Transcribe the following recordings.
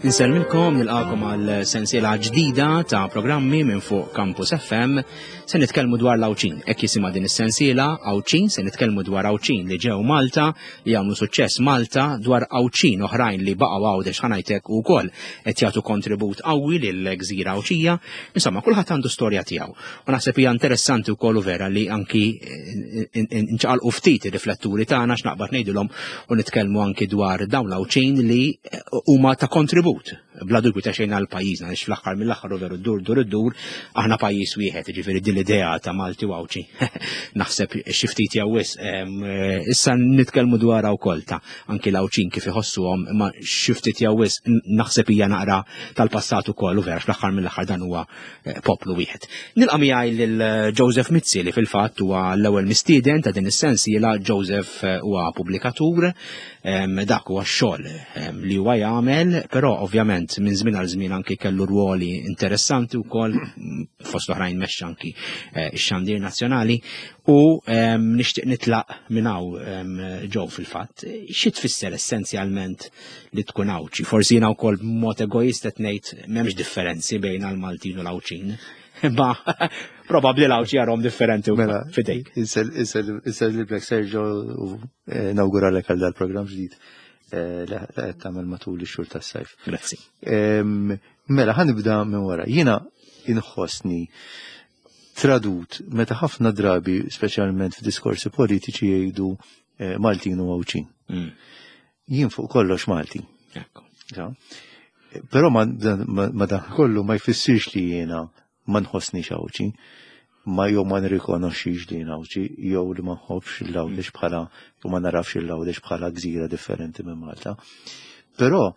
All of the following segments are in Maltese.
Insellmilkom nilqakom għal sensiela ġdida ta' programmi minn fuq Campus FM. Se nitkellmu dwar l-Għawdxin. Hekk jisimha din is-sensiela Għawdxin, se nitkellmu dwar Għawdxin li ġew Malta, li għamlu suċċess Malta, dwar Għawdxin oħrajn li baqgħu Għawdex ħanajtek ukoll qed jagħtu kontribut qawwi lill-gżira Għawdxija. Insomma, kulħadd għandu storja tiegħu. U naħseb hija interessanti wkoll u vera li anki eh, nċaqalqu ftit ir-rifletturi tagħna x'naqbad ngħidilhom u nitkellmu anki dwar dawn l-Għawdxin li eh, huma ta' kontribut bla dubju ta' xejn għal pajjiżna għaliex fl-aħħar mill-aħħar u veru dur dur id-dur aħna pajjiż wieħed, jiġifieri din l-idea ta' Malti u Għawdxi naħseb xi ftit jew wisq eh, issa nitkellmu dwarha wkoll ta' anki l-Għawdxin kif iħossuhom imma xi ftit jew wisq naħseb hija naqra tal-passat ukoll u vera fl-aħħar mill-aħħar dan huwa eh, poplu wieħed. Nilqa' miegħi lil eh, Joseph Mizzi li fil-fatt huwa l-ewwel mistieden ta' din is-sensiela. Joseph eh, huwa pubblikatur, dak huwa x-xogħol li huwa jagħmel, però ovvjament minn żmien għal żmien anki kellu rwoli interessanti wkoll fost oħrajn mexxa anki x-xandir nazzjonali u nixtieq nitlaq minn hawn ġew fil-fatt. Xi tfisser essenzjalment li tkun Għawdxi. Forsi jiena wkoll b'mod egoist qed ngħid m'hemmx differenzi bejn għall-Maltin u l-Għawdxin. Imma probabbli l-Għawdxi jarhom differenti wkoll mela, fidejk. Insel li Black Sergio u eh, nawguralek għal dal-programm ġdid eh, li qed tagħmel matul ix-xhur tas-sajf. Grazzi. Mela ħanibda minn wara. Jiena inħossni tradut meta ħafna drabi, speċjalment f'diskorsi politiċi jgħidu eh, Maltin u Għawdxin. Jien fuq kollox Malti. Però ma dan kollu ma jfissirx li jiena ma nħossni Għawdxi, ma jew ma nirrikonoxxix li jien Għawdxi, jew li ma nħobbx l-Għawdex bħala u ma narafx l-Għawdex bħala gżira differenti minn Malta. Però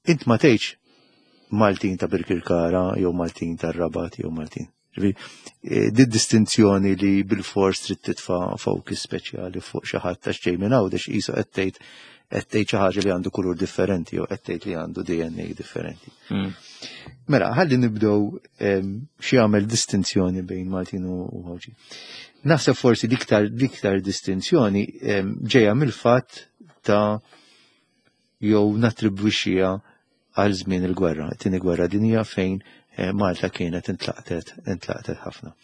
int ma tgħidx Maltin ta' Birkirkara jew Maltin tar-Rabat jew Maltin. Eh, di distinzjoni li bil-fors trid titfa' focus speċjali fuq xi ħadd għax ġej minn Għawdex qisu qed tgħid qed tgħid xi ħaġa li għandu kulur differenti jew qed tgħid li għandu DNA differenti. Mela, ħalli nibdew xi jagħmel distinzjoni bejn Maltin u Għawdxin. Naħseb forsi l-iktar l-iktar distinzjoni ġejja mill-fatt ta' jew nattribwixxiha għal żmien il-gwerra, it-tieni gwerra dinjija fejn eh, Malta kienet intlaqtet intlaqtet ħafna.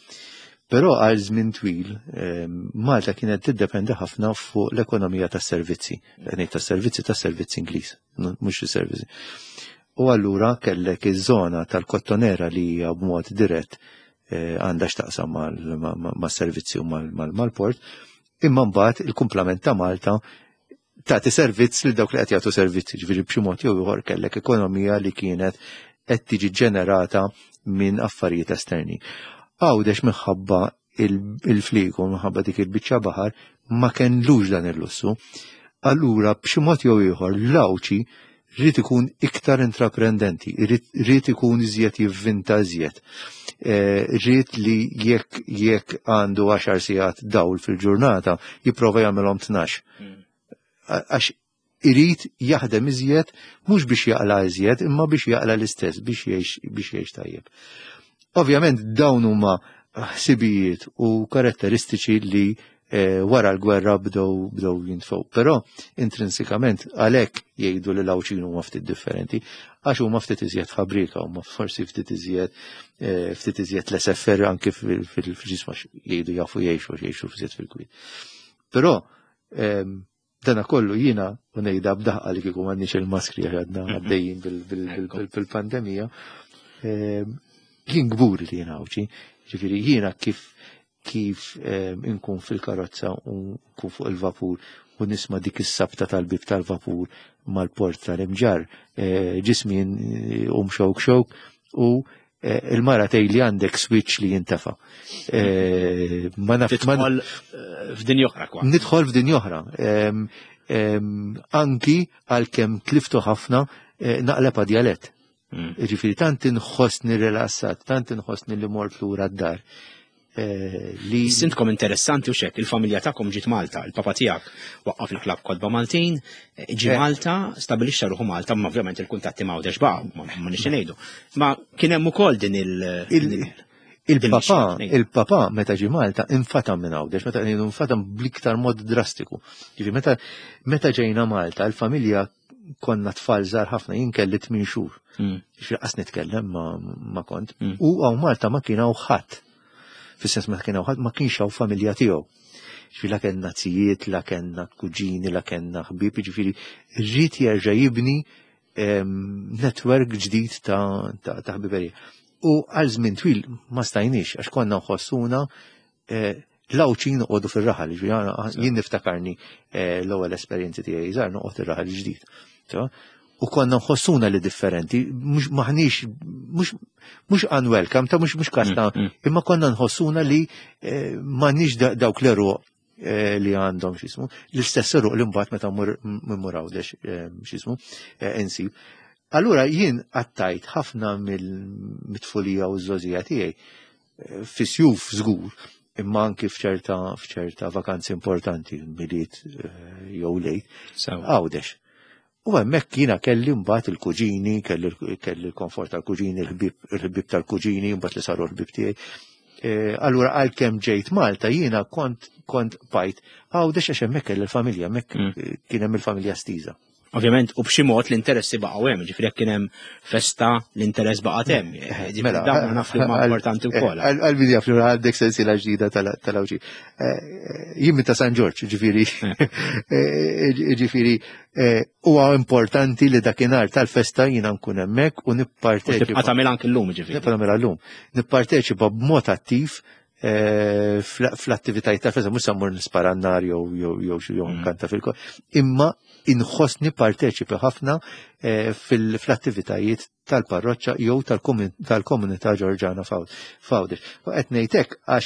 Però għal żmien twil eh, Malta kienet tiddependi ħafna fuq l-ekonomija tas-servizzi, ngħid tas-servizzi tas-servizzi Ingliż, mhux is-servizzi. U allura kellek iż-żona tal-kottonera li hija b'mod dirett eh, għandha x'taqsam mas-servizzi u mal-port, imma mbagħad il-kumplament ta' Malta tagħti servizz lil dawk li qed jagħtu servizzi, ġifieri b'xi mod jew ieħor kellek ekonomija li kienet qed tiġi ġenerata minn affarijiet esterni. Għawdex minħabba il-fliegu, minħabba dik il-biċċa baħar, ma kellux dan il-lussu. Allura b'xi mod jew ieħor l-Għawdxi rrid ikun iktar intraprendenti, rrid ikun iżjed jivvinta iżjed. Eh, rrid li jekk jekk għandu 10 sigħat dawl fil-ġurnata, jipprova jagħmilhom 12. Għax irid jaħdem iżjed mhux biex jaqla iżjed, imma biex jaqla l-istess, biex jgħix biex jgħix tajjeb. Ovvjament dawn huma ħsibijiet u karatteristiċi li eh, wara l-gwerra bdew bdew jintfew. Però intrinsikament għalhekk jgħidu li l-Għawdxin huma ftit differenti għax huma ftit iżjed ħabrika, huma forsi ftit iżjed eh, ftit iżjed l-SFR anki fil-ġisma jgħidu jafu jgħixu jgħixu ftit fil-kwiet. Però ehm, dana kollu jiena u ngħidha b'daħqa li kieku m'għandniex il-maskri għax għadna għaddejjin bil-pandemija. Ehm, jien kburi li jiena Għawdxi, ġifieri jiena kif kif ehm, inkun fil-karozza u nkun fuq il-vapur u nisma' dik is-sabta tal-bib tal-vapur mal-port tal-imġar, eh, ġismi eh, um xewk xewk u eh, il-mara tgħid li għandek switch li jintefa. Ma naf Tidħol f'din oħra kwa. Nidħol f'din oħra. Ehm, ehm, anki għalkemm tliftu ħafna naqleb djalett. Ġifieri tant inħossni rilassat, tant inħossni li mort lura d-dar. Eh, li Sintkom interessanti u xek, il-familja tagħkom ġiet Malta, il-papa tiegħek waqqaf il-klab Kodba Maltin, eh, ġi eh. Malta, stabilixxa ruħu Malta, ma ovvjament il-kuntatti ma' għawdex baqgħu, ma nixxi ngħidu. Ma kien hemm ukoll din il- Il-papa, il-papa meta ġi Malta infatam minn Għawdex, meta ngħidu infatam bl-iktar mod drastiku. Ġifi meta meta ġejna Malta, il-familja Konna tfal żgħar ħafna, jien kelli 8 xhur. X'qas nitkellem ma kont. U hawn Malta ma kien hawn ħadd. Fis-sens ma kien hawn ħadd, ma kienx hawn familja tiegħu. Ġifieri la kellna zijiet, la kellna kuġini, la kellna ħbieb, ġifieri rrid jerġa' jibni network ġdid ta' ħbiberija. U għal żmien twil ma stajniex għax konna nħossuna l-Għawdxin noqogħdu fir-raħal, ġifieri jien niftakarni l-ewwel esperjenzi tiegħi żgħar noqgħod ir-raħal ġdid. U konna nħossuna li differenti, mhux maħniex mhux unwelcome, ta' mhux kasta, imma konna nħossuna li m'għandniex dawk l-eruq li għandhom x'ismu, l-istess eruq li mbagħad meta mmur Għawdex x'ismu insib. Allura jien qattajt ħafna mill-mitfulija u ż-żgħożija tiegħi fi sjuf żgur, imma anki f'ċerta vakanzi importanti, Milied jew Lejt, Għawdex. U hemmhekk jiena kelli mbagħad il-kuġini, kelli l-komfort tal-kuġini, il-ħbieb tal-kuġini, mbagħad li saru l-ħbieb tiegħi. Allura għalkemm ġejt Malta jiena kont bqajt Għawdex għax hemmhekk kelli l-familja, hemmhekk kien hemm il-familja stiża. Ovvjament, u b'xi mod l-interessi baqgħu hemm, ġifieri jekk kien hemm festa l-interess baqa' hemm. Ġifieri Mela, dawn naf li huma importanti wkoll. Għal-min jaf li għandek sensiela ġdida tal-Għawdxi. Jien ta' San Ġorġ, ġifieri huwa importanti li dakinhar tal-festa jiena nkun hemmhekk u nipparteċipa. Tibqa' tagħmel anke llum, ġifieri. Nibqa' tagħmilha llum. Nipparteċipa b'mod attiv fl-attivitajiet tal-festa, mhux se mmur nispara n-nar jew xi jew nkanta fil imma inħossni parteċipi ħafna fl-attivitajiet tal-parroċċa jew tal-komunità Ġorġana f'Għawdex. U qed ngħid hekk għax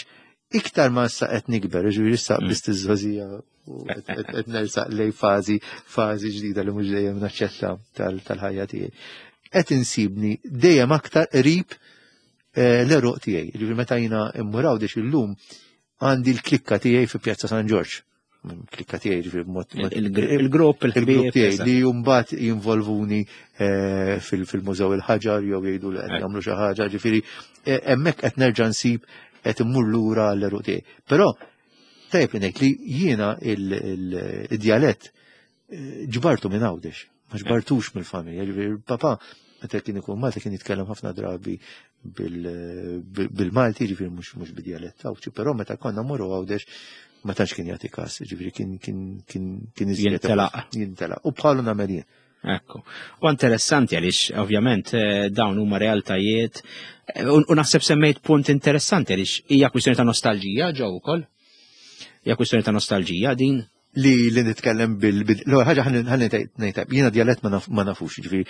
iktar ma issa qed nikber, ġifieri issa biss iż-żgħożija u qed nersaq lej fażi ġdida li mhux dejjem naċċetta tal-ħajja tiegħi. Qed insibni dejjem aktar qrib l-eruq tiegħi. Ġifieri meta jiena immur Għawdex illum għandi l-klikka tiegħi fi Pjazza San Ġorġ. Klikka tiegħi ġifieri b'mod Il-grupp, il-grupp il-ħbieb, tiegħi li mbagħad jinvolvuni fil-Mużew il-Ħaġar jew jgħidu li qed jagħmlu xi ħaġa, ġifieri hemmhekk qed nerġa' nsib qed immur lura l-eruq tiegħi. Però tajjeb li ngħid li jiena il-djalett ġbartu minn Għawdex, ma ġbartux mill-familja, ġifieri papà meta kien ikun Malta kien jitkellem ħafna drabi bil-Malti, ġifieri mhux bid-djalett Għawdxi, però meta konna mmorru Għawdex ma tantx kien jagħti każ, ġifieri kien iżjed Jintelaq. Jintelaq. U bħalu nagħmel jien. Ekku. U interessanti għaliex ovvjament dawn huma realtajiet u naħseb semmejt punt interessanti għaliex hija kwistjoni ta' nostalġija ġew ukoll. Hija kwistjoni ta' nostalġija din. Li nitkellem bil-, l-ewwel ħaġa ħalli ngħid, jiena djalett ma nafux, ġifieri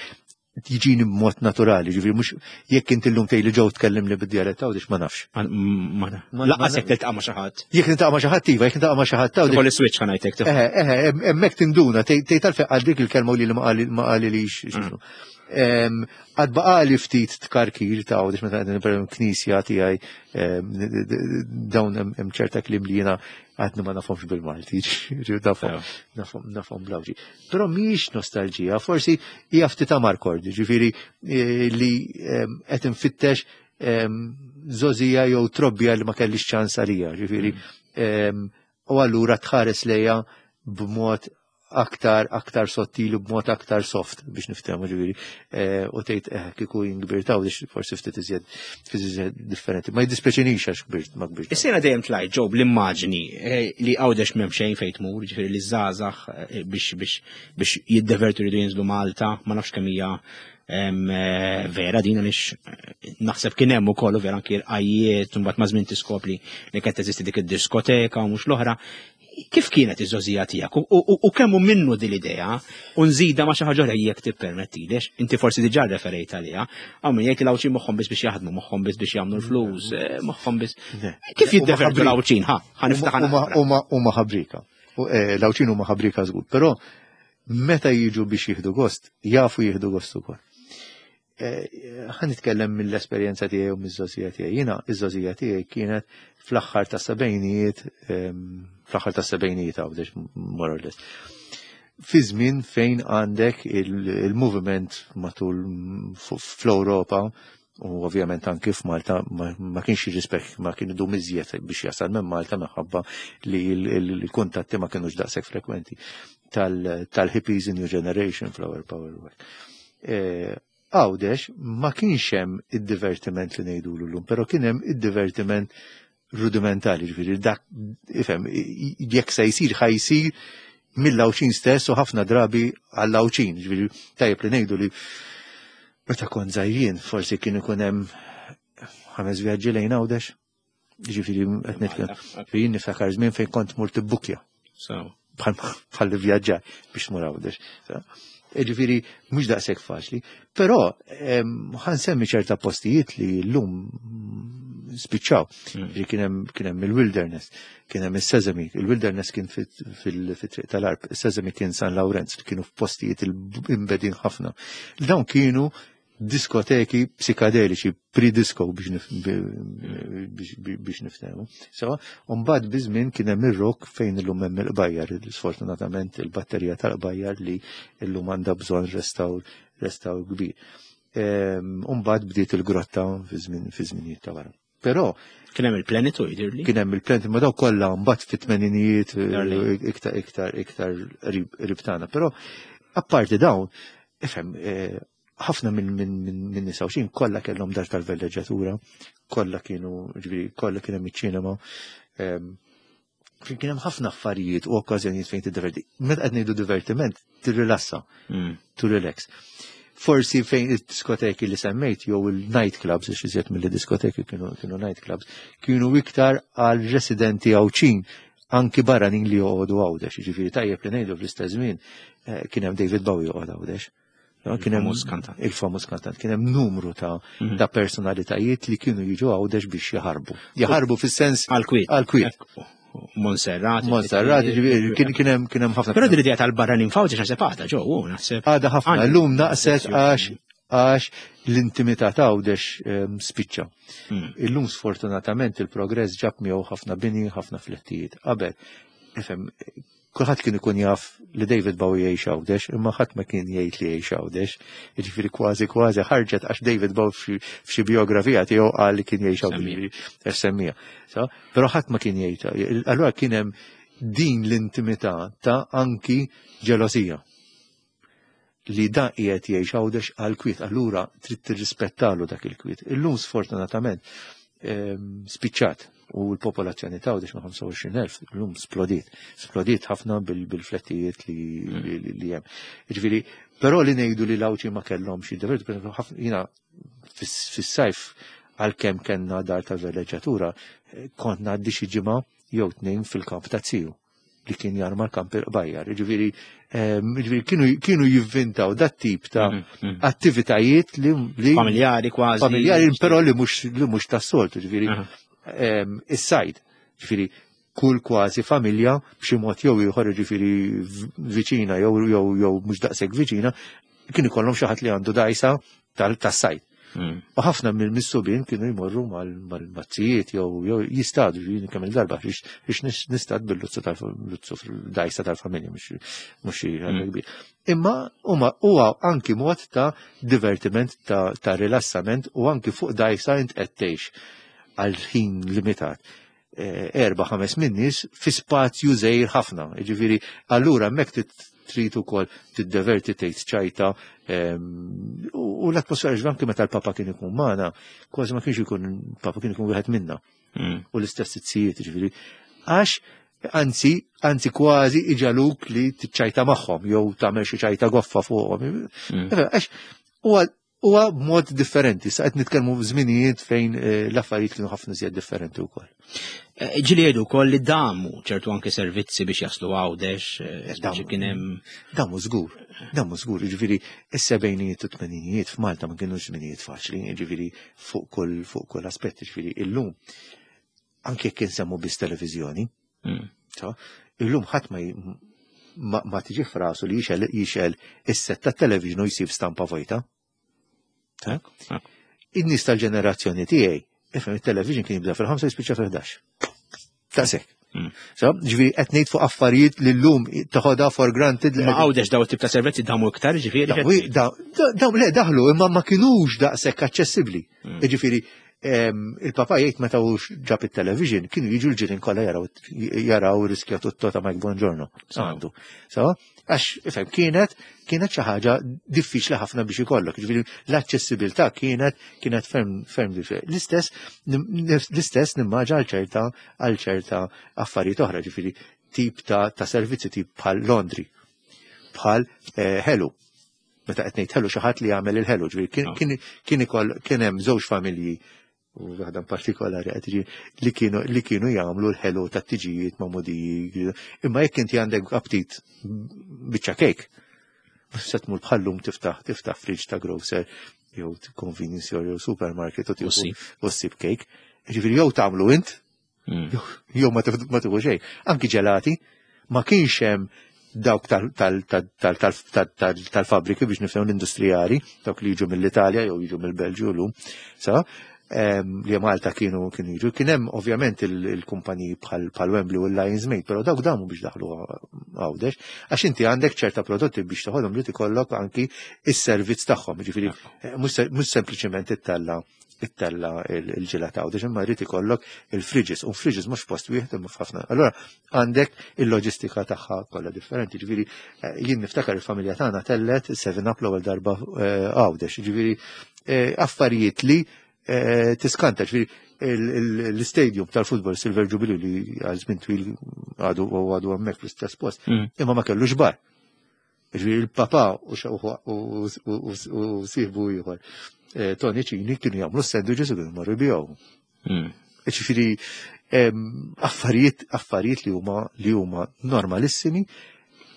jiġini b'mod naturali, ġifieri mhux jekk inti llum tgħidli ġew tkellimni bid-djalett Għawdex ma nafx. Ma naf. Lanqas jekk tiltaqa' ma' xi ħadd. Jekk niltaqa' ma' xi ħadd iva, jekk niltaqa' ma' xi ħadd Għawdex. Ikolli switch ħa ngħidlek tifhem. Eħe, eħe, hemmhekk tinduna, tgħid għalfejn qal dik il-kelma u li ma qalilix x'ismu. Għad baqali ftit tkarkir ta' Għawdex meta qegħdin per knisja tiegħi, dawn hemm ċerta kliem li jiena għadni ma nafhomx bil-Malti, ġifieri nafhom bl-Għawdxi. Però mhijiex nostalġija, forsi hija ftit amarkord, ġifieri li qed infittex żgħożija jew trobbija li ma kellix ċans għalija, ġifieri, u allura tħares lejha b'mod aktar sottili, b'mod aktar soft biex niftehmu, ġifieri, u tgħid kieku jien kbirt Għawdex forsi ftit iżjed differenti. Ma jiddispjaċinix għax kbirt, ma kbirt. Is-sena dejjem tlajt ġew bl-immaġni li Għawdex m'hemm xejn fejn tmur, ġifieri li żgħażagħ biex jiddevertu jridu jinżlu Malta, ma nafx kemm hija vera din għaliex naħseb kien hemm ukoll u vera anki l-qajjiet, u mbagħad ma' żmien tiskopri li kienet teżisti dik id-diskoteka u mhux l-oħra. Kif kienet iż-żgħożija tiegħek? U kemm hu minnu din l-idea u nżida ma' xi ħaġa oħra jekk tippermettilix, inti forsi diġà referejt għaliha, hawn min jgħid li l-Għawdxin moħħhom biss biex jaħdmu, moħħhom biss biex jagħmlu l-flus, moħħhom biss. Kif jiddevertu l-Għawdxin? Ħa, ħa niftaħ naqra. Huma ħabrika. U l-Għawdxin huma ħabrika żgur, però meta jiġu biex jieħdu gost, jafu jieħdu gost ukoll. Ħa nitkellem mill-esperjenza tiegħi u miż-żgħożija tiegħi. Jiena iż-żgħożija tiegħi kienet fl-aħħar ta' sebgħinijiet, fl-aħħar ta' sebgħinijiet Għawdex, more or less. Fi żmien fejn għandek il-moviment matul fl-Ewropa u ovvjament anki f'Malta ma kienx jirrispek, ma kien idum iżjed biex jasal minn Malta minħabba li il-kuntatti ma kienux daqshekk frekwenti. tal-hippies New Generation, Flower Power. E, Għawdex ma kienx hemm id-divertiment li ngħidulu llum, però kien hemm id-divertiment rudimentali, ġifieri dak ifhem jekk se jsir ħa jsir mill-Għawdxin stess u ħafna drabi għall-Għawdxin, ġifieri tajjeb li ngħidu li meta kont żgħir forsi kien ikun hemm ħames vjaġġi lejn Għawdex. Ġifieri qed nitkellem. Jien niftakar żmien fejn kont mur tibbukja. Bħal vjaġġar biex tmur Għawdex. Ġifieri mhux daqshekk faċli, però ħansemmi ċerta postijiet li llum spiċċaw. Ġifieri kien hemm il-Wilderness, kien hemm is-Sesame, il-Wilderness kien fit-triq tal-Arb, is-Sesame kien San Lawrenz, kienu f'postijiet imbedin ħafna. Dawn kienu diskoteki psikadeliċi, pre-disco biex niftehmu. Sewa, mbagħad biż-żmien kien hemm ir-rock fejn illum hemm il-qbajjar, sfortunatament il-batterija tal-qbajjar li illum għandha bżonn restawr restawr kbir. Mbagħad bdiet il-grotta fi żminijiet ta' wara. Però kien hemm il-Planet u jidhirli. Kien hemm il-Planet ma daw kollha mbagħad fit-tmeninijiet iktar iktar iktar qrib tagħna. Però apparti dawn, ifhem, ħafna minn nisa u xin kollha kellhom dar tal-velleġġatura, kollha kienu, ġifieri, kollha kien hemm iċ-ċinema. Kien hemm ħafna affarijiet u okkażjonijiet fejn tiddiverti. Meta qed ngħidu divertiment, tirrilassa, to relax. Forsi fejn id-diskoteki li semmejt jew il-night clubs, għax iżjed mill-diskoteki kienu kienu night clubs, kienu iktar għal residenti Għawdxin anki barranin li joqogħdu Għawdex. Jiġifieri tajjeb li ngħidu fl-istess żmien kien hemm David Bowie joqgħod Għawdex. Kien hemm il-famuż kantant, kien hemm numru ta' ta' personalitajiet li kienu jiġu Għawdex biex jaħarbu. Jaħarbu fis-sens għal-kwiet. Għal-kwiet. Monserrat. Monserrat, kien hemm kien hemm ħafna. Però din l-idea tal-barranin f'Għawdex naħseb għadha ġew, naħseb. Għadha ħafna, llum naqset għax għax l-intimità ta' Għawdex spiċċa. Illum sfortunatament il-progress ġab miegħu ħafna bini, ħafna flettijiet. Qabel, ifhem, kulħadd kien ikun jaf li David Bowie jgħix Għawdex, imma ħadd ma kien jgħid li jgħix Għawdex. Jiġifieri kważi kważi ħarġet għax David Bowie f'xi biografija tiegħu qal li kien jgħix Għawdex, semmija. Però ħadd ma kien jgħid. Allura kien hemm din l-intimità ta' anki ġelosija li da qiegħed jgħix Għawdex għal kwiet, allura trid tirrispettalu dak il-kwiet. Illum sfortunatament spiċċat u l-popolazzjoni ta' Għawdex ma' 25,000 illum splodiet, splodiet ħafna bil-flettijiet li hemm. Jiġifieri, però li ngħidu li l-Għawdxi ma kellhomx jiddevertu, per esempio, ħafna jiena fis-sajf għalkemm kellna dar tal-villeġġatura, kont ngħaddi xi ġimgħa jew tnejn fil-kamp ta' ziju li kien jarma l-kamp il-qbajjar. Ġifieri, ġifieri kienu jivvintaw dat tip ta' attivitajiet li familjari kważi. Familjari, però li mhux li mhux tas-soltu, ġifieri is-sajd. Ġifieri kull kważi familja b'xi mod jew ieħor, ġifieri viċina jew jew jew mhux daqshekk viċina, kien ikollhom xi ħadd li għandu dajsa tas-sajd. U ħafna mill-missubin kienu jmorru mal-mazzijiet jew jistadu, ġifieri kemm il-darba biex nistad bil-luzzu tal-luzzu fil-dajsa tal-familja, mhux xi ħaġa kbir. Imma huwa anki mod ta' divertiment, ta' rilassament u anki fuq dajsa int qed tgħix għal ħin limitat. 4-5 minn nies fi spazju żgħir ħafna. Jiġifieri, allura hemmhekk trid ukoll tiddeverti tgħid ċajta u l-atmosfera ġifieri anke meta l-Papa kien ikun magħna, kważi ma kienx ikun Papa kien ikun wieħed minna. U l-istess tizzijiet, ġifieri. Għax anzi, anzi kważi iġaluk li tiċċajta magħhom jew tagħmel xi ċajta goffa fuqhom. Għax huwa b'mod differenti. Sa qed nitkellmu f'żminijiet fejn l-affarijiet kienu ħafna iżjed differenti wkoll. Ġieli jgħidu wkoll li damu ċertu anke servizzi biex jaslu Għawdex, speċi kien hemm Damu żgur, damu żgur, jiġifieri is-sebgħinijiet u t-tmeninijiet f'Malta ma kienux żminijiet faċli, jiġifieri fuq kull fuq kull aspett, jiġifieri illum anke jekk insemmu biss televiżjoni, illum ħadd ma tiġi f'rasu li jixel is-set tat-television u jsib stampa vojta. In-nies tal-ġenerazzjoni tiegħi, ifhem it-television kien jibda fil-5 jispiċċa fil-11. Daqshekk. So, ġifieri qed ngħid fuq affarijiet li llum toħodha for granted li Ma Għawdex daw tip ta' servizzi damu iktar, ġifieri. Daw le daħlu imma ma kinux daqshekk aċċessibbli. Ġifieri Il-papa jgħid meta hu ġab it-television kienu jiġu l-ġirien kollha jaraw jaraw riskja tutto ta' Mike Bongiorno. Għandu. So, għax ifhem kienet kienet xi ħaġa diffiċli ħafna biex ikollok. Ġifieri l-aċċessibilità kienet kienet ferm ferm diffiċli. L-istess l-istess nimmaġa għal ċerta għal ċerta affarijiet oħra, ġifieri tip ta', ta servizzi tip bħal laundry, bħal eh, ħelu. Meta qed ngħid ħelu xi ħadd li jagħmel il-ħelu, ġifieri kien ah. kien kien ikoll kien hemm żewġ familji u waħda partikolari qed tiġi li kienu li kienu jagħmlu l-ħelu tat-tiġijiet magħmudiji. Imma jekk inti għandek aptit biċċa kejk, se tmur bħallum tiftaħ tiftaħ fridge ta' grocer jew convenience store jew supermarket u tieħu u ssib kejk. Ġifieri jew tagħmlu int hmm. jew ma tieħu xejn. Anki ġelati ma kienx hemm dawk tal-fabriki biex nifhem l-industrijali, dawk li jiġu mill-Italja jew jiġu mill-Belġju llum. Sa, li Malta kienu kienu jiġu. Kien hemm ovvjament il-kumpaniji bħal Wembley u l-Lions Mate, però dawk damu biex daħlu Għawdex, għax inti għandek ċerta prodotti biex toħodhom li tikollok anki is-servizz tagħhom, jiġifieri eh, mhux sempliċement ittella' ittella il-ġilata għawdex imma jrid ikollok il-fridges, u fridges mhux post wieħed imma f'ħafna. Allura għandek il-loġistika tagħha kollha differenti. Ġifieri eh, jien niftakar il-familja tagħna tellet 7 Up l-ewwel darba eh, għawdex, ġifieri eh, affarijiet li tiskanta, ġifieri l-stadium tal-futbol Silver Jubilee li għal żmien twil għadu għadu hemmhekk fl-istess post, mm. imma ma kellux bar. Ġifieri il-papa u sieħbu ieħor eh, Tony Cini kienu jagħmlu sandwiches u kienu marru jbigħu. Hmm. Ġifieri affarijiet affarijiet li huma li huma normalissimi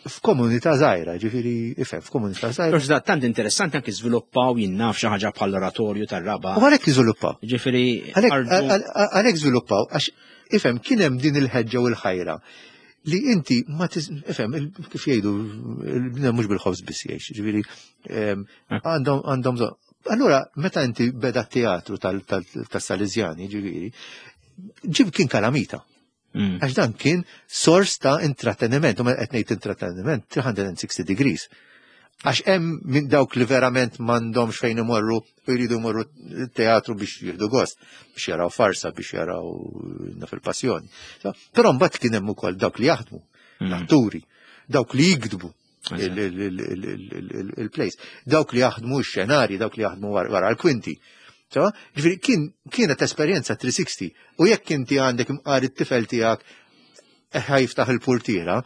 f'komunità żgħira, ġifieri ifhem f'komunità żgħira. Però tant interessanti anke żviluppaw jinnaf xi ħaġa bħal oratorju tar-raba. U għalhekk iżviluppaw. Ġifieri għalhekk żviluppaw għax ifhem kien hemm din il-ħeġġa u l-ħajra li inti ma ifhem kif jgħidu il-bniedem mhux bil-ħobż biss jgħix, ġifieri eh. għandhom għandhom bżonn. Allura meta inti beda teatru tas-Salesjani, ġifieri, ġib kien kalamita. Mm. Għax dan kien sors ta' intratteniment, u meta qed ngħid intratteniment 360 degrees. Għax hemm minn dawk li verament m'għandhomx fejn imorru u jridu jmorru teatru biex jieħdu gost, biex jaraw farsa, biex jaraw naf il-passjoni. Però mbagħad kien hemm ukoll dawk li jaħdmu, mm. l-atturi, dawk li jikdbu il-plays, dawk li jaħdmu x-xenarji, dawk li jaħdmu wara l-kwinti. Ġifieri kienet esperjenza 360 u jekk inti għandek imqar it-tifel tiegħek ħajftaħ il-purtiera,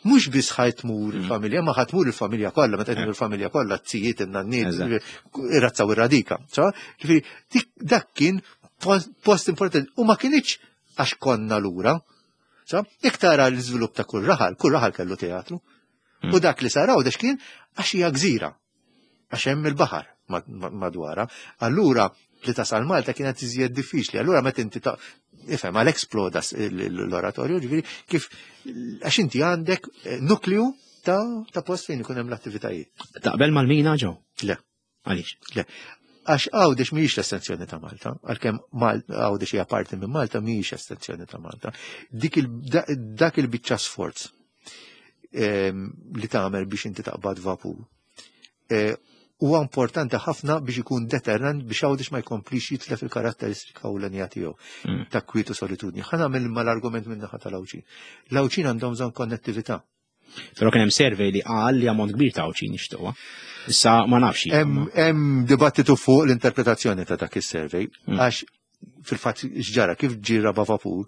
mhux biss ħajtmur mm. il-familja, ma ħatmur il-familja kollha, meta qed il-familja kollha t-tijiet in-nanniet, ir-razza u r-radika. Ġifieri dak kien post importanti u ma kienx għax konna lura. Jekk tara l-iżvilupp ta' kull raħal, kull raħal kellu teatru. Mm. U dak li sar Għawdex kien għax hija gżira. Għax hemm il-baħar madwara. Allura li tasal Malta kienet iżjed diffiċli. Allura meta inti ta' ifhem għal eksploda l-oratorju, ġifieri kif għax inti għandek eh, nukleu ta', ta post fejn ikun hemm l-attivitajiet. Taqbel mal-mina ġew? Le. Għaliex? Le. Għax Għawdex mhijiex l-estensjoni ta' Malta, għalkemm Għawdex hija parti minn Malta mhijiex estensjoni ta' Malta. Dik il, dak il-biċċa sforz ehm, li tagħmel biex inti taqbad vapur. Eh, huwa importanti ħafna biex ikun deterrent biex Għawdex ma jkomplix jitlef il-karatteristika ewlenija tiegħu mm. ta' kwiet u solitudni. Ħa nagħmel mal-argument minn naħa tal-Għawdxin. L-Għawdxin għandhom bżonn konnettività. Però kien hemm survey li qal li ammont kbir ta' Għawdxin jixtuqha. Issa ma nafx. Hemm dibattitu fuq l-interpretazzjoni ta' dak is-survey mm. għax fil-fatt x'ġara kif ġie raba vapur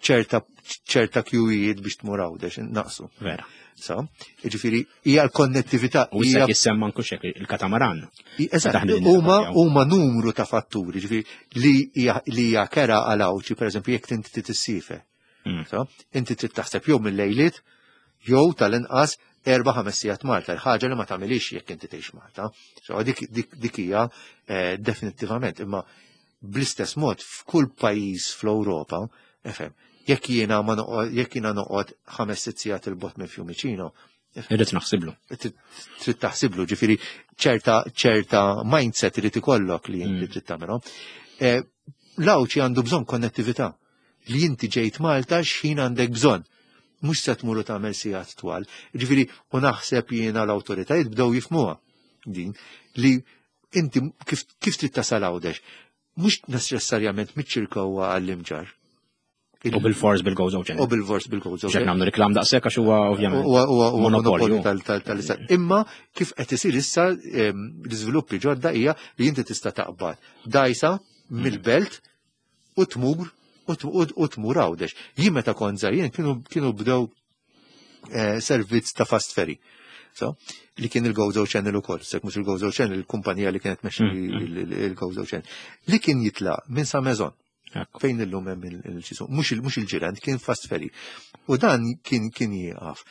ċerta ċerta kjuwijiet biex tmur Għawdex naqsu. Vera. So, ġifieri hija l-konnettività. U issa jissemma anke il-katamaran. Eżatt, huma huma numru ta' fatturi, ġifieri li hija kera għal Għawdxi, pereżempju jekk inti tissifer. Mm. So, inti trid taħseb jew mill-lejliet jew tal-inqas erba' ħames sigħat Malta, l-ħaġa li ma tagħmilix jekk inti tgħix Malta. So, dik, dik, dik hija eh, definittivament, imma bl-istess mod f'kull pajjiż fl-Ewropa, efhem, jekk jiena ma jekk jiena noqgħod ħames sitt sigħat il-bot minn Fiumicino, Irrid naħsiblu. Trid taħsiblu, ġifieri ċerta ċerta mindset irid ikollok li inti mm. trid tagħmelhom. Eh, L-Għawdxi għandu bżonn konnettività. Li inti ġejt Malta x'ħin għandek bżonn. Mhux se tmur u tagħmel sigħat twal. Ġifieri u naħseb jiena l-awtoritajiet bdew jifhmuha din li inti kif, kif trid tasal Għawdex. mhux neċessarjament miċ-Ċirkewwa għall-Imġarr. U bil-fors bil-Gozo Channel. U bil-fors bil-Gozo Channel. Nagħmlu reklam daqshekk għax huwa ovvjament. Huwa monopolju tal-istat. Imma kif qed isir issa l-iżviluppi ġodda hija li inti tista' taqbad dajsa mill-belt u tmur u tmur Għawdex. Jien meta kont żgħir kienu bdew eh, servizz ta' fast ferry. So, li kien il-Gozo Channel ukoll, sek mhux il-Gozo Channel, il-kumpanija li kienet mexxi il-Gozo Channel, li kien jitla' minn Sa Mezon. Fejn illum hemm il-ċisu, mhux il-ġirant, kien fast ferry. U dan kien kien jieqaf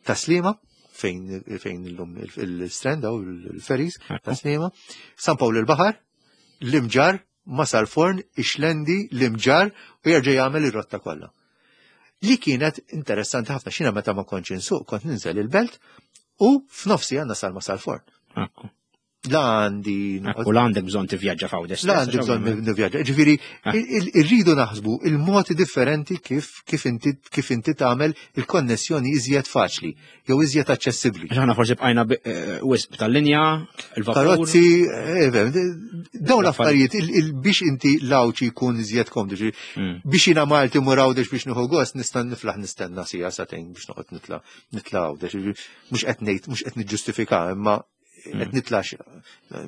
taslima fejn fejn illum il-strand u l-ferries taslima, San Pawl il-Baħar, l-Imġar, Masar Forn, Ixlendi, l-Imġar u jerġa' jagħmel ir-rotta kollha. Li kienet interessanti ħafna xina meta ma kontx insuq kont ninżel il-belt u f'nofsi għandna sal Masar Forn. La għandi. U la għandek bżonn tivvjaġġa f'Għawdex. La għandi bżonn nivvjaġġa. Ġifieri ah. irridu naħsbu il-modi differenti kif kif inti kif inti tagħmel il-konnessjoni iżjed faċli jew iżjed aċċessibbli. Aħna forsi bqajna eh, wisq tal-linja, il-vapur. Karozzi, eh, dawn l-affarijiet biex inti l-Għawdxi jkun iżjed komdu. Hmm. Biex jiena Malti mur Għawdex biex nieħu gost nista' niflaħ nistenna sija sagħtejn biex noqgħod nitla' nitla' Għawdex. Mhux qed ngħid, mhux qed niġġustifika, imma qed hmm. nitlax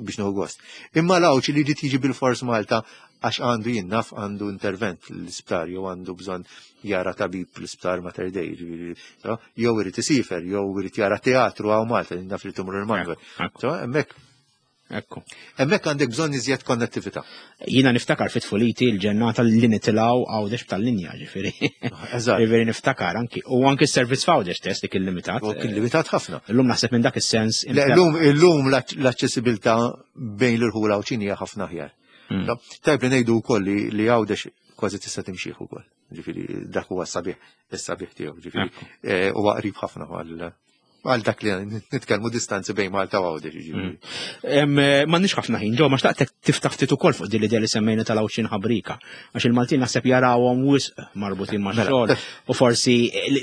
biex nieħu gost. Imma l-Għawdxi li ġiet jiġi bil-fors Malta għax għandu jinnaf għandu intervent l-isptar jew għandu bżonn jara tabib l-isptar Mater Dei, jew irid isifer, jew irid jara teatru għaw Malta, naf li tumur il-Manwel. Hemmhekk Ekku. Hemmhekk għandek bżonn iżjed konnettività. Jiena niftakar fit tfuliti l-ġennata li nitilgħu għawdex tal-linja, ġifieri. Eżatt. Ġifieri niftakar anki. U anki s-servizz f'Għawdex test li kien limitat. U kien limitat ħafna. Illum naħseb minn dak is-sens. Illum illum l-aċċessibilità bejn l-irħula u ċinija ħafna aħjar. Hmm. Tajb li ngħidu wkoll li Għawdex kważi tista' timxih ukoll. Ġifieri dak huwa s-sabiħ, is-sabiħ tiegħu, ġifieri eh, huwa qrib ħafna għal għal dak li nitkellmu distanzi bejn Malta u Għawdex. Ġifieri. Mm. Eh, m'għandniex ħafna ħin, ġo, ma xtaqtek tiftaħ ftit ukoll fuq din l-idea li semmejna tal-Għawdxin ħabrika. Għax il-Maltin naħseb jarawhom wisq marbutin ma' mela, xogħol u forsi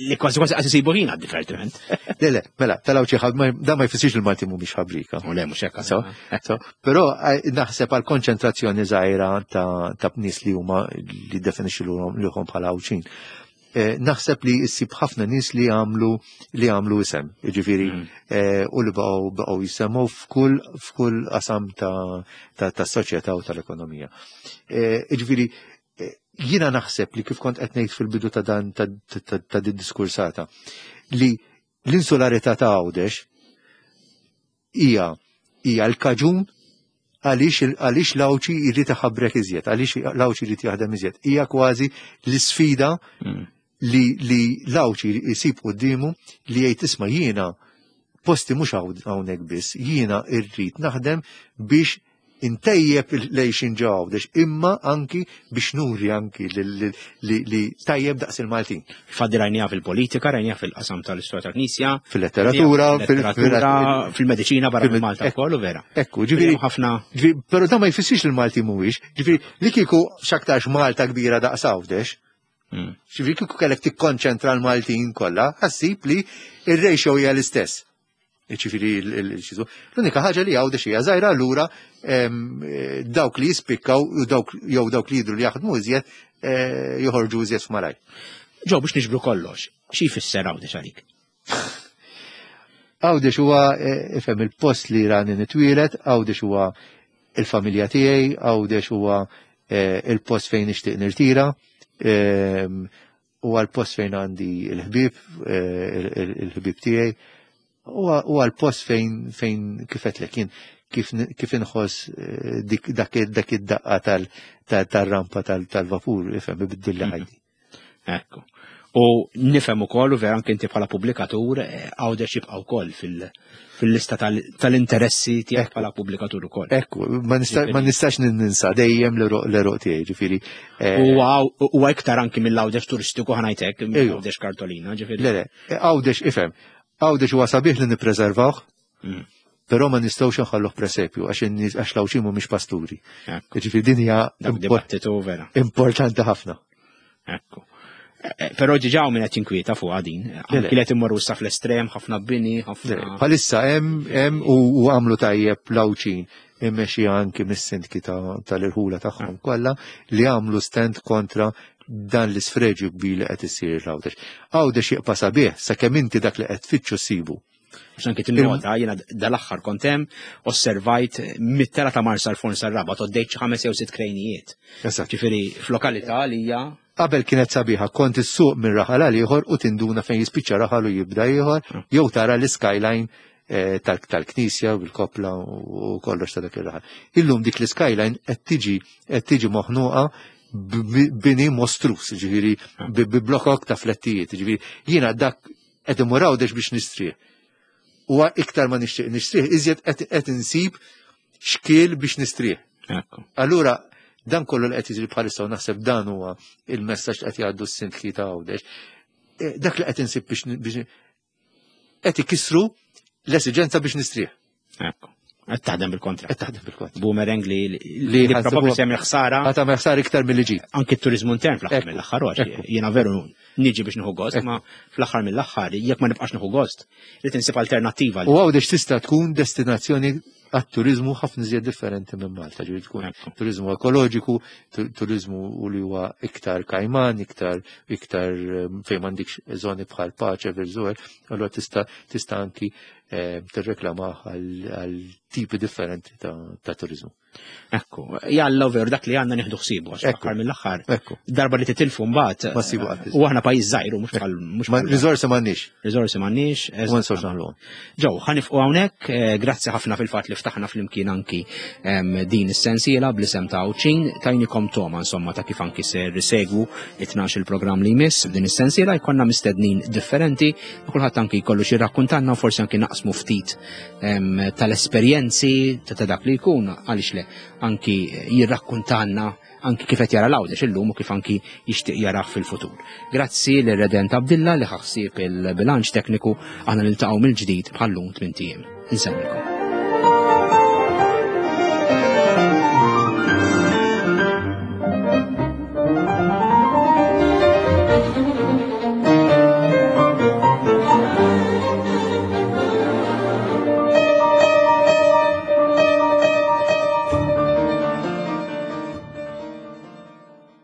li kważi kważi qas isibu ħin għad-divertiment. Le, le, mela, tal-Għawdxin da ma jfissirx il-Maltin mhumiex ħabrika. U le, mhux hekk. Però eh, naħseb għal konċentrazzjoni żgħira ta' nies li huma li definixxu lilhom bħala Għawdxin. Eh, naħseb li issib ħafna nies li għamlu li għamlu isem, jiġifieri mm. eh, u li baqgħu baqgħu jisemgħu f'kull f'kull qasam ta' ta' soċjetà u tal-ekonomija. Eh, jiġifieri jiena naħseb li kif kont qed ngħid fil-bidu ta' dan ta' din diskursata li l-insularità ta' Għawdex hija hija l-kaġun għaliex għaliex l-Għawdxi jrid iħabrek iżjed, għaliex l-Għawdxi jrid jaħdem iżjed. Hija kważi l-isfida mm. li li l-Għawdxi jsib quddiemu li jgħid isma' jiena posti mhux hawnhekk biss, jiena rrid naħdem biex intejjeb l-għejxin ġo Għawdex, imma anki biex nuri anki li tajjeb daqs il-Maltin. Faddi rajnija fil-politika, rajnija fil-qasam tal-istorja tal-Knisja. Fil-letteratura, fil-medicina barra minn Malta wkoll u vera. Ekku, ġifieri ħafna. Però dan ma jfissirx li l-Malti mhuwiex, ġifieri li kieku x'aktarx Malta kbira daqs Għawdex, hmm. ġifieri kieku kellek tikkonċentra l-Maltin kollha, ħassib li ir-ratio hija l-istess. Ġifieri l-xizu. L-unika ħaġa li għawdex hija żgħira allura eh, dawk li jispikkaw u dawk jew dawk li jidru li jaħdmu iżjed eh, joħorġu iżjed f'malaj. Ġo biex niġbru kollox, xi jfisser Għawdex għalik? Għawdex huwa eh, ifhem il-post li rani nitwielet, Għawdex huwa il-familja tiegħi, Għawdex huwa il-post fejn nixtieq nirtira, huwa l-post fejn għandi l-ħbieb, eh, il-ħbieb tiegħi, huwa l-post fejn fejn kif qedlek jien kif inħoss eh, dak id-daqqa tal-rampa tal-vapur, ifhem ibiddilli mhm. ħajti. Ekku. U nifhem ukoll u vera anke inti bħala pubblikatur eh, għawdex jibqa' wkoll fil-lista tal-interessi tiegħek bħala pubblikatur ukoll. Ekku, ma nistax ninsa dejjem l-eruq tiegħi, ġifieri. Eh, huwa iktar anki mill-għawdex turistiku ħanajtek, mill-għawdex kartolina, ġifieri. Le, le, għawdex ifhem, għawdex huwa sabiħ li nippreservawh, mm. Però ma nistgħux nħalluh presepju għax għax l-Għawdxin mhumiex pasturi. Ġifieri din hija dibattitu vera. Importanti ħafna. Ekku. Eh, però ġiġaw minn qed jinkwieta fuq din. Anki qed immorru sa fl-estrem, ħafna bini, ħafna. Bħalissa hemm hemm u għamlu tajjeb l-Għawdxin immexxi anki mis-sindki tal-irħula tagħhom ah. kollha li għamlu stand kontra dan l-isfreġju kbir li qed isir l-Għawdex. Għawdex jibqa' sabiħ sakemm inti dak li qed tfittxu ssibu. Għax anki tinnota, jiena dal-aħħar kont hemm, osservajt mit-tela ta' Marsa l-Forn sar-Rabat, għoddejt xi ħames jew sitt krejnijiet. Ġifieri f'lokalità li hija Qabel kienet sabiħa, kont issuq minn raħal għal ieħor u tinduna fejn jispiċċa raħal u jibda ieħor, ah. jew tara l-skyline eh, tal-knisja bil-kopla u kollox ta' dak ir-raħal. Illum dik l-skyline qed tiġi qed tiġi moħnuqa bini mostrus, ġifieri ah. bi blokok ta' flettijiet, ġifieri jiena dak qed imur Għawdex biex nistrieħ. U iktar ma nixtieq nistrieħ, iżjed qed insib xkiel biex nistrieħ. Allura, dan kollu li qed jiġri bħalissa u naħseb dan huwa il-messaġġ li qed jgħaddu s-sindki ta' Għawdex. Eh, dak li qed insib biex qed ikissru l-esiġenza biex nistrieħ. Ekku. Qed taħdem bil-kontra. Qed taħdem bil-kontra. Boomerang li li probabbli se jagħmel ħsara. Qed tagħmel ħsara iktar milli ġid. Anki t-turiżmu intern fl-aħħar mill-aħħar jiena veru niġi biex nieħu gost, ma fl-aħħar mill-aħħar jekk ma nibqax nieħu gost, li tinsib alternattiva. U għawdex tista' tkun destinazzjoni għat-turizmu ħafna iżjed differenti minn Malta, ġifieri tkun turizmu ekoloġiku, turizmu u li huwa iktar kajman, iktar iktar ehm, fejn m'għandikx żoni bħal paċe, verżuer, allura tista' tista' anki eh, tirreklama għal tipi differenti ta' turizmu. Ekku, jalla veru dak li għandna nieħdu ħsiebu għax aħħar mill-aħħar. Darba li titilfu mbagħad. Ma sibu qatt. U aħna pajjiż żgħir mhux bħal mhux Riżorsi m'għandniex. Riżorsi m'għandniex. Ma nistgħux naħluhom. Ġew, ħanifqu hawnhekk, eh, grazzi ħafna fil-fatt li ftaħna flimkien anki din is-sensiela bl-isem ta' Għawdxin, tajnikom toma insomma ta' kif anki ser segwu it-12 il-programm li jmiss f'din is-sensiela jkollna mistednin differenti, kulħadd anki jkollu xi rakkuntanna u forsi anki naqsmu ftit tal-esperjenzi ta' dak li jkun għaliex le anki jirrakkuntanna anki kif qed jara l-Għawdex illum u kif anki jixtieq jarah fil-futur. Grazzi lil Redent Abdilla li ħaħsieb il-bilanċ tekniku aħna niltaqgħu mill-ġdid bħallum tmien ijiem. Insellmilkom.